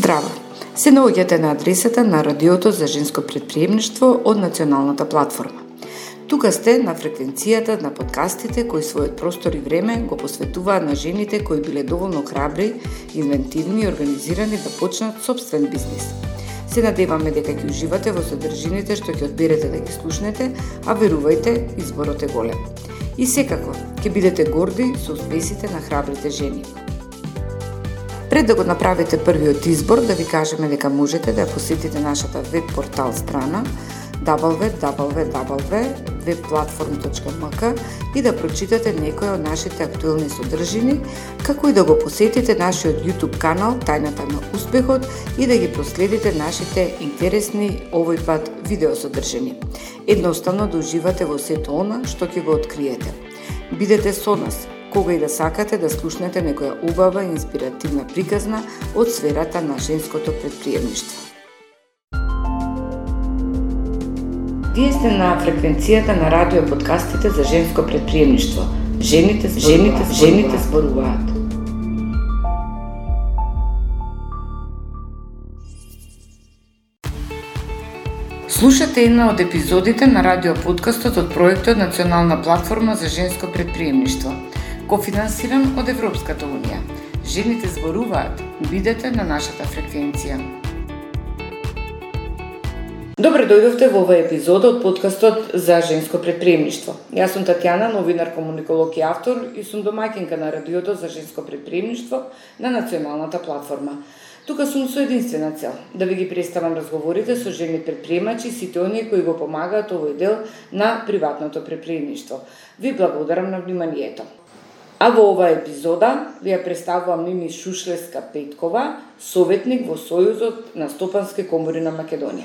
Здраво! Се наоѓате на адресата на Радиото за женско претприемништво од Националната платформа. Тука сте на фреквенцијата на подкастите кои својот простор и време го посветуваат на жените кои биле доволно храбри, инвентивни и организирани да почнат собствен бизнис. Се надеваме дека ќе уживате во содржините што ќе одберете да ги слушнете, а верувајте, изборот е голем. И секако, ќе бидете горди со успесите на храбрите жени. Пред да го направите првиот избор, да ви кажеме дека можете да посетите нашата веб портал страна www.webplatform.mk и да прочитате некои од нашите актуелни содржини, како и да го посетите нашиот YouTube канал Тајната на успехот и да ги проследите нашите интересни овој пат видеосодржини. Едноставно да уживате во сето она што ќе го откриете. Бидете со нас кога и да сакате да слушнете некоја убава и инспиративна приказна од сферата на женското претприемништво. Вие сте на фреквенцијата на радио подкастите за женско претприемништво. Жените зборуваат. Слушате една од епизодите на радио подкастот од проектот Национална платформа за женско претприемништво, кофинансиран од Европската унија. Жените зборуваат. Бидете на нашата фреквенција. Добре дојдовте во овој епизод од подкастот за женско претприемништво. Јас сум Татјана, новинар, комуниколог и автор и сум домаќинка на радиото за женско претприемништво на Националната платформа. Тука сум со единствена цел да ви ги представам разговорите со жени претприемачи, сите оние кои го помагаат овој дел на приватното претприемништво. Ви благодарам на вниманието. А во оваа епизода ви ја представувам Мими Шушлевска-Петкова, советник во Сојузот на стопански комори на Македонија.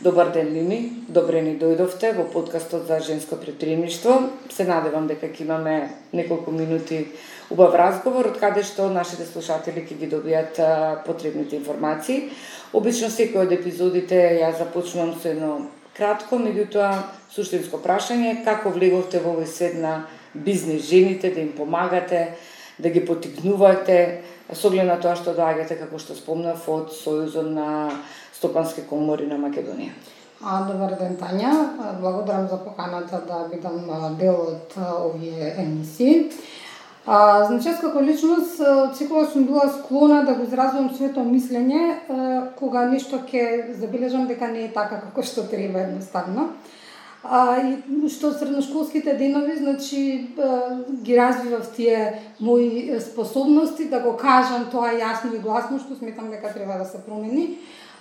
Добар ден, Мими. Добре ни дојдовте во подкастот за женско претприемништво. Се надевам дека ќе имаме неколку минути убав разговор, од каде што нашите слушатели ќе ги добијат потребните информации. Обично секој од епизодите ја започнувам со едно кратко, меѓутоа суштинско прашање: како влеговте во овој свет на бизнис жените, да им помагате, да ги поттикнувате, со оглед на тоа што доаѓате, како што спомнав, од Сојузот на стопански комори на Македонија. Добар ден, Тања. Благодарам за поканата да бидам дел од овие емисии. Значи, јас како личност секогаш сум била склона да го изразвам своето мислење кога нешто ќе забележам дека не е така како што треба едноставно. И што средношколските денови, значи, ги развивав тие мои способности да го кажам тоа јасно и гласно, што сметам дека треба да се промени.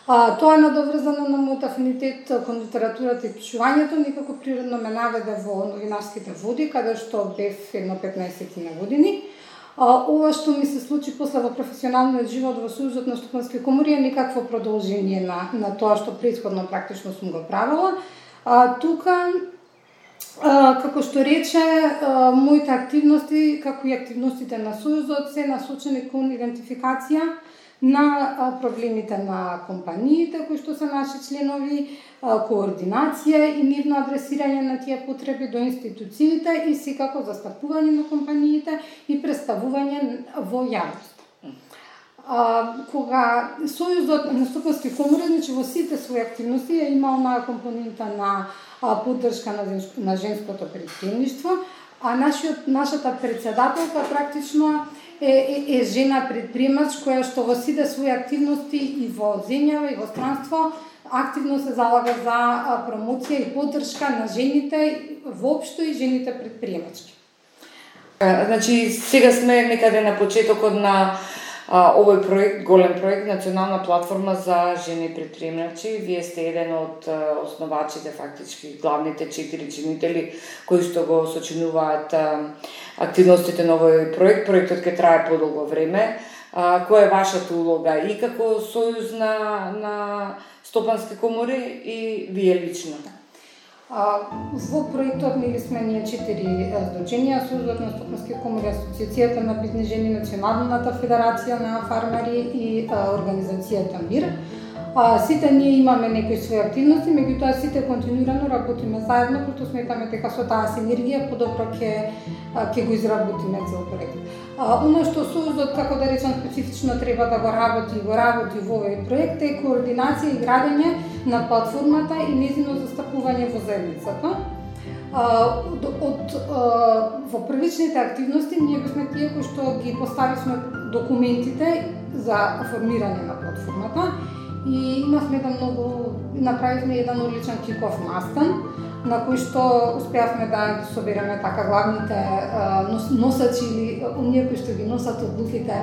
Тоа е надоврзано на мојот афинитет кон литературата и пишувањето, некако природно ме наведе во новинарските води, каде што бев едно 15 на години. Ова што ми се случи после во професионалниот живот во Сојузот на стопански комори е некакво продолжение на тоа што претходно практично сум го правила. Тука, како што рече, моите активности, како и активностите на Сојузот, се насочени кон идентификација на проблемите на компаниите кои што се наши членови, координација и мирно адресирање на тие потреби до институциите и секако застапување на компаниите и представување во јавност. Кога Сојузот на стопански комори, значи во сите своји активности е имал на компонента на поддршка на женското претприемништво, а нашата председателка практично е жена предприемач која што во сите своји активности и во земјава и во странство активно се залага за промоција и поддршка на жените воопшто и жените предприемачки. Значи, сега сме некаде на почетокот на овој проект, голем проект, Национална платформа за жени претприемачи. Вие сте еден од основачите, фактички главните 4 чинители кои што го сочинуваат активностите на овој проект. Проектот ќе трае подолго време. Која е вашата улога и како Сојуз на стопански комори и вие лично? Во проектот сме ние 4 здруженија: Сојузот на стопански комори, Асоциацијата на бизнис жени, Националната федерација на фармари и Организацијата МИР. Сите ние имаме некои своји активности, меѓутоа сите континуирано работиме заедно, прото сметаме дека со таа синергија подобро ќе го изработиме цел проект. Оно што Союзот, како да речам, специфично треба да го работи во овој проект е координација и градење на платформата и нејзино застапување во заедницата. Во првичните активности ние бевме тие кои што ги поставивме документите за формирање на платформата и направивме еден одличен киков настан на кој што успеавме да ги собереме така главните носачи или оние кои што ги носат одлуките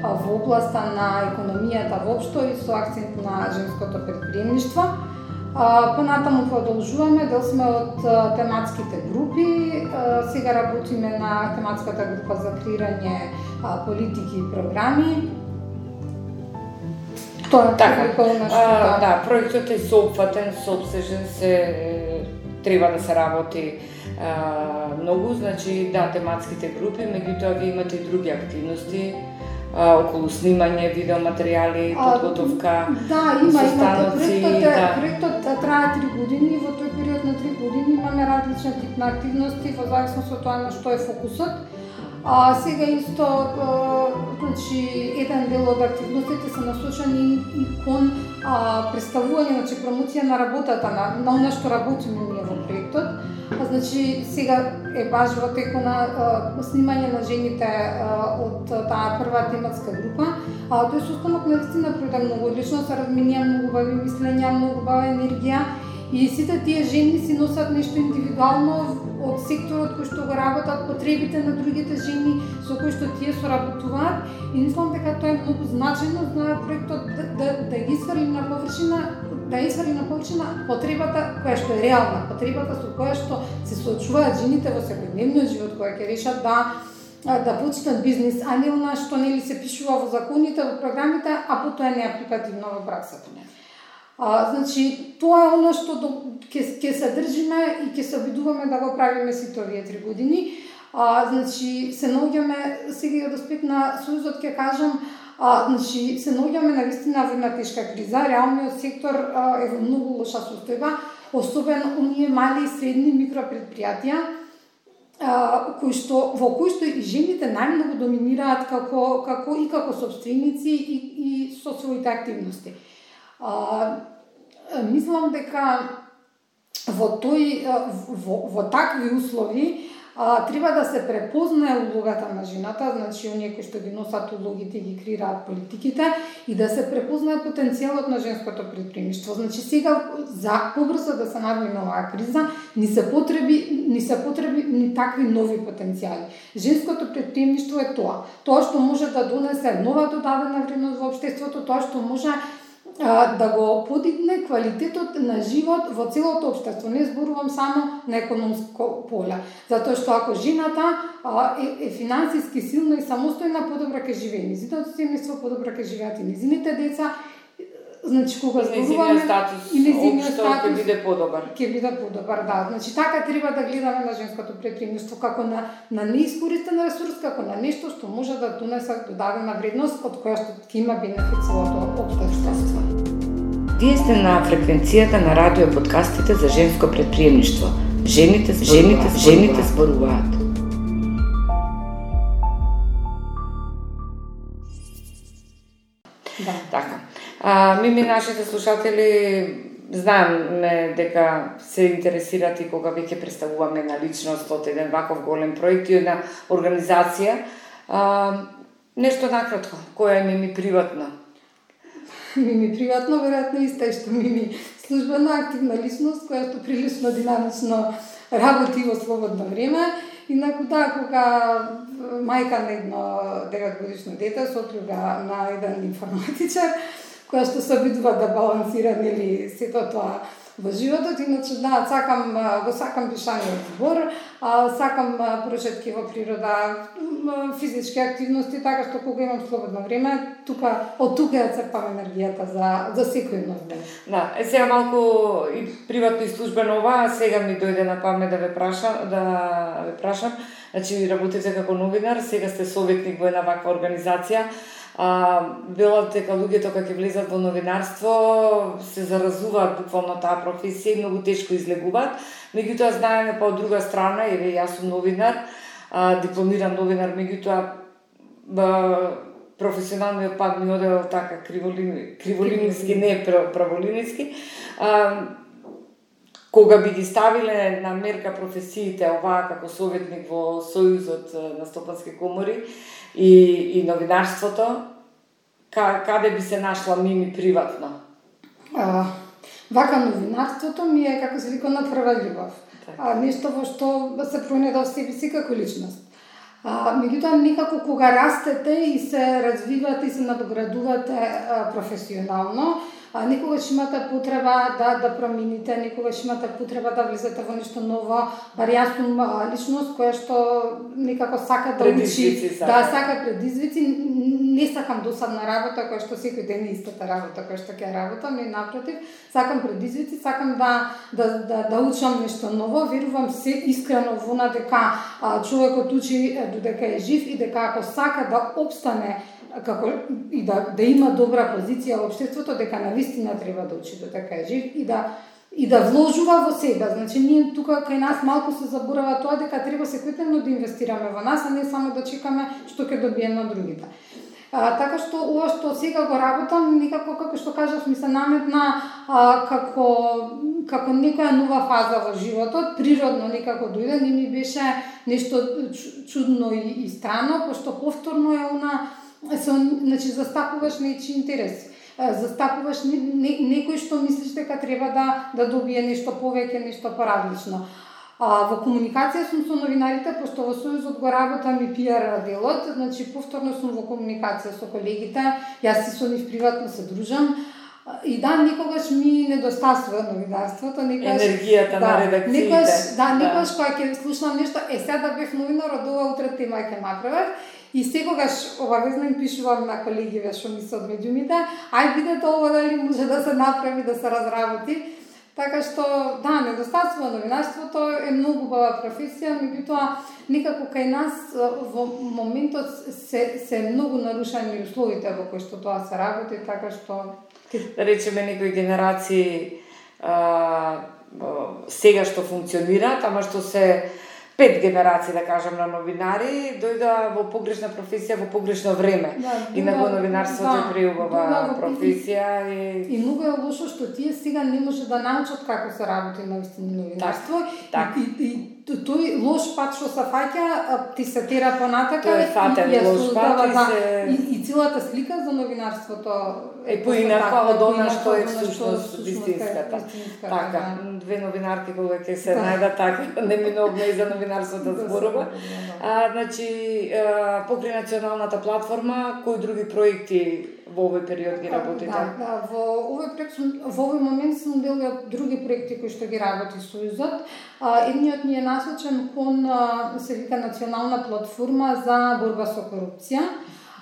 во областа на економијата воопшто и со акцент на женското претприемништво. Понатаму продолжуваме, дел сме од тематските групи, сега работиме на тематската група за креирање политики и програми. Тоа така, да, проектот е соопфатен, соопсежен, треба да се работи многу, значи да, тематските групи, меѓутоа ви имате и други активности околу снимање, видеоматеријали, подготовка, состаноци. Проектот трае 3 години и во тој период на 3 години имаме различни тип на активности во зависност од тоа на што е фокусот. Сега исто, значи, еден дел од активностите се насочени и кон представување, значи промоција на работата, на она што работиме ние во проектот. Значи, сега е баш во теку на снимање на жените од таа прва тематска група. Тој состанок наистина пројде многу одлично, се разменија многу убави мислења, многу убава енергија и сите тие жени си носат нешто индивидуално од секторот кој што го работат, потребите на другите жени со кои што тие соработуваат и мислам дека тоа е многу значајно за проектот да ги извади на површина, потребата која што е реална, потребата со која што се соочуваат жените во секојдневниот живот, која ќе решат да почнат бизнис, а не она што нели се пишува во законите, во програмите, а потоа не е апликативно во праксата. Значи, тоа е оно што ќе се држиме и ќе се обидуваме да го правиме сите овие 3 години. Значи, се наоѓаме, сега од аспект на Сојузот ќе кажам, значи, се наоѓаме навистина во една тешка криза, реалниот сектор е во многу лоша состојба, особено оние мали и средни микропредпријатија, во кои што и жените најмногу доминираат како собственици и со своите активности. Мислам дека во такви услови треба да се препознае улогата на жената, значи оние кои што ги носат улогите и ги креираат политиките и да се препознае потенцијалот на женското претприемништво. Значи сега за побрзо да се надмине оваа криза ни се потребни такви нови потенцијали. Женското претприемништво е тоа што може да донесе нова додадена вредност во општеството, тоа што може да го подигне квалитетот на живот во целото општество. Не зборувам само на економско поле, затоа што ако жената е финансиски силна и самостојна, подобро ќе живее низиното семејство, подобро ќе живеат и низините деца. Значи кога зборуваме и низиниот статус ќе биде подобар. Да. Значи така треба да гледаме на женското претприемништво како на неискористен ресурс, како на нешто што може да донесе додадена вредност од која што ќе има бенефит целото општество. Вие сте на фреквенцијата на радио подкастите за женско претприемништво. Жените зборуваат. Да. Така. Мими, нашите слушатели знаеме дека се интересират и кога веќе представуваме на личност од еден ваков голем проект и една организација. Нешто накратко, која е Мими приватно? Мими приватно, веројатно исто што Мими службено активна личност, која што прилично динамично работи во слободно време. Инаку кога мајка на едно 9-годишно дете, сопруга на еден информатичар, која што се обидува да балансира нели сето тоа во животот. Иначе сакам пишаниот збор, сакам прошетки во природа, физички активности, така што кога имам слободно време, од тука ја црпам енергијата за секој нов ден. Да, сега малку и приватно и службено ова, сега ми дојде на памет да ве прашам. Значи работите како новинар, сега сте советник во една ваква организација. Велат дека луѓето кога ќе влезат во новинарство се заразуваат буквално таа професија и многу тешко излегуваат. Меѓутоа знаеме па од друга страна, еве јас сум новинар, дипломиран новинар, меѓутоа професионалниот пат ми одел така криволинijски, не праволинijски. Кога би ги ставиле на мерка професиите оваа како советник во Сојузот на стопански комори и новинарството, каде би се нашла Мими приватно? Вака новинарството ми е, како се вика, на прва љубов. Нешто во што се пронајде во себе си како личност. Меѓутоа, некако кога растете и се развивате и се надоградувате професионално, некогаш имате потреба да промените, некогаш имате потреба да влезете во нешто ново, бар јас сум личност која што некако сака да учи, сака предизвици, не сакам досадна работа која што секој ден е истата работа која што ќе работам, не напротив, сакам предизвици, сакам да учам нешто ново, верувам се искрено во на дека човекот учи додека е жив и дека ако сака да опстане како и да има добра позиција во општеството, дека навистина треба да учи додека е жив и да вложува во себе. Значи ние тука кај нас малку се заборава тоа дека треба секојдневно да инвестираме во нас, а не само да чекаме што ќе добиеме од другите. Така што ова што сега го работам, некако како што кажав ми се наметна како некоја нова фаза во животот, природно некако дојде, не ми беше нешто чудно и странно, пошто повторно е значи застапуваш нечи интереси. Застапуваш некој што мислиш дека треба да добие нешто повеќе, нешто поразлично. Во комуникација сум со новинарите, пошто во Сојузот го работам и пиар делот, значи повторно сум во комуникација со колегите, јас и со нив приватно се дружам. И некогаш ми недостасува новинарството, енергијата на редакциите. Некогаш кога ќе слушнам нешто, сега да бев новинар, од ова утре тема ќе направев. И секогаш обавезно им пишувам на колегиве што ми се од медиумите, ај видете ова дали може да се направи, да се разработи. Така што, недостатство новинарството е многу убава професија, меѓутоа некако кај нас во моментот се многу нарушени условите во кои што тоа се работи, така што да речеме некои генерации сега што функционираат, ама што се 5 генерации, да кажам, на новинари, дојда во погрешна професија во погрешно време. Инаку новинарството е преубава професија. И многу е лошо што тие сега не може да научат како се работи наистина новинарство. И тој лош пат што се фаќа, ти се тера понатака. Тој е фатен лош пат и целата слика за новинарството е поинака од она што е всушност вистинската. Така, две новинарки кога ќе се најдат така, неминовно и за новинарството зборува. Значи, покрај националната платформа, кои други проекти во овој период ги работите? Во овој момент сум дел од други проекти кои што ги работи Сојузот. Едниот ни е насочен кон се вика национална платформа за борба со корупција.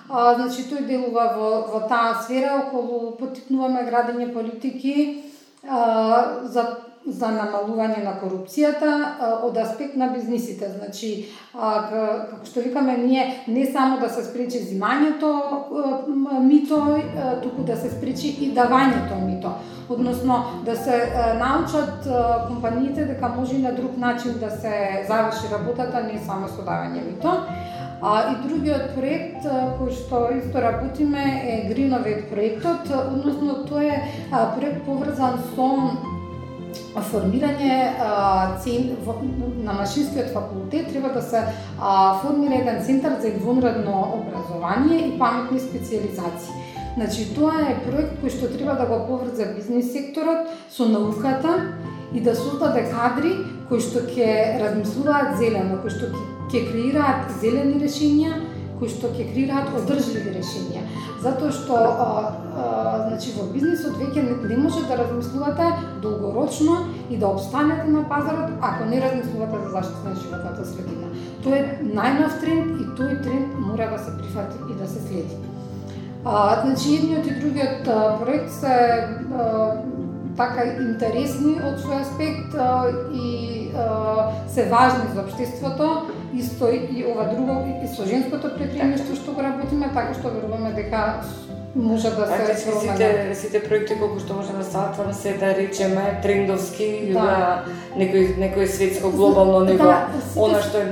Значи тој делува во таа сфера околу поттикнуваме градење политики за намалување на корупцијата од аспект на бизнисите. Значи, како што викаме, ние не само да се спречи зимањето мито, туку да се спречи и давањето мито. Односно, да се научат компаниите дека може и на друг начин да се заврши работата, не само со давање мито. И другиот проект кој што исто работиме е Гриновет проектот, односно тој е проект поврзан со формирање на Машинскиот факултет, треба да се формира еден центар за извонредно образование и паметни специализации. Значи, тоа е проект кој што треба да го поврзе бизнис секторот со науката и да создаде кадри кои што ќе размислуваат зелено, кои што ќе креираат зелени решенија, кои што ќе креираат одржливи решенија. Затоа што значи во бизнисот веќе не може да размислувате долгорочно и да обстанете на пазарот ако не размислувате за заштита на животната средина. Тоа е најнов тренд и тој тренд мора да се прифати и да се следи. Значи едниот и другиот проект се така интересни од свој аспект и се важни за општеството. исто и ова друго и со женското предприемништво што го работиме, така што веруваме дека може да се промени. Сите проекти колку што може да сатвам се да речеме трендовски на некој светско глобално ниво, она што е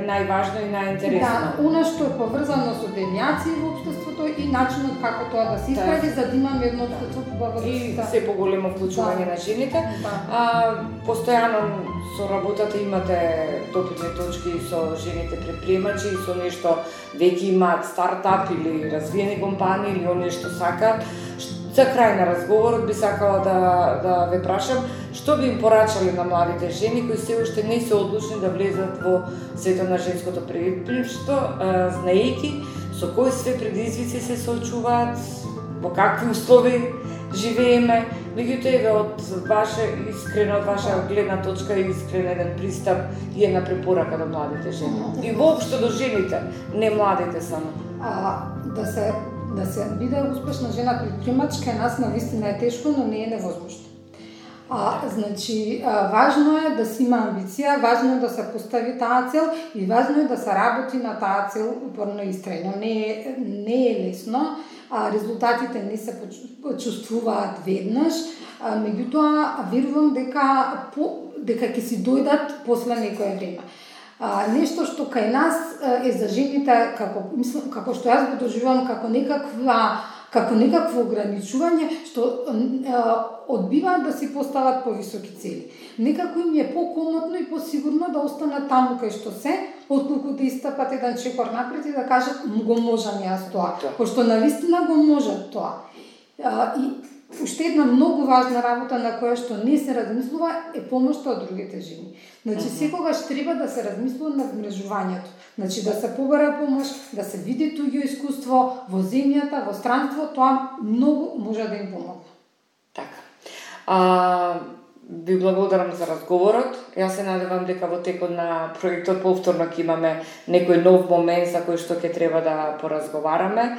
најважно и најинтересно. Да, она што е поврзано со девијации во општеството и начинот како тоа да се исправи, за да имаме едно општество побаво и се поголемо вклучување на жените. Постојано со работата имате допирни точки со жените предприемачи и со нешто веќе имаат стартап или развиени компании или оние што сакаат. За крај на разговорот би сакала да ве прашам што би им порачале на младите жени кои се уште не се одлучни да влезат во светот на женското предприемништво, знаејќи со кои све предизвици се соочуваат, во какви услови живееме, меѓутоа еве од ваша гледна точка и искрен еден пристап и една препорака до младите жени. И воопшто до жените, не младите само. Да се биде успешна жена предприемач кај нас навистина е тешко, но не е невозможно. Значи, важно е да си има амбиција, важно е да се постави таа цел и важно е да се работи на таа цел упорно и истрајно. Не е лесно, резултатите не се почувствуваат веднаш, меѓутоа верувам дека ќе си дојдат после некое време. Нешто што кај нас е за жените, како што јас го доживувам како некакво ограничување, што одбиваат да си постават повисоки цели. Некако им е покомотно и посигурно да останат таму кај што се, отколку да истапат еден чекор напред и да кажат го можам јас тоа, пошто навистина го можат тоа. И уште една многу важна работа на која што не се размислува е помошта од другите жени. Значи секогаш треба да се размислува на вмрежувањето. Значи да се побара помош, да се види туѓо искуство во земјата, во странство, тоа многу може да им помогне. Така. Ви благодарам за разговорот. Јас се надевам дека во текот на проектот повторно ќе имаме некој нов момент за кој што ќе треба да поразговараме.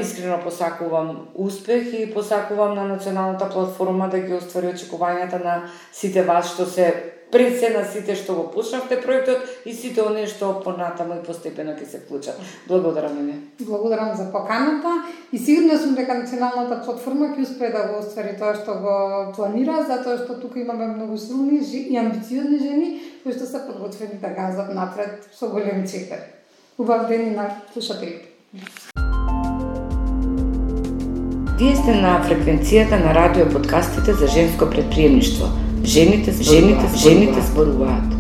Искрено посакувам успех и посакувам на националната платформа да ги оствари очекувањата на сите вас што се пред се на сите што го почнавте проектот и сите оние што понатаму и постепено ќе се вклучат. Благодарам ви. Благодарам за поканата и сигурна сум дека националната платформа ќе успее да го оствари тоа што го планира, затоа што тука имаме многу силни и амбициозни жени кои што се подготвени да газат напред со голем чекор. Убав ден на слушателите. Вие сте на фреквенцијата на радио подкастите за женско предприемништво. Жените зборуваат.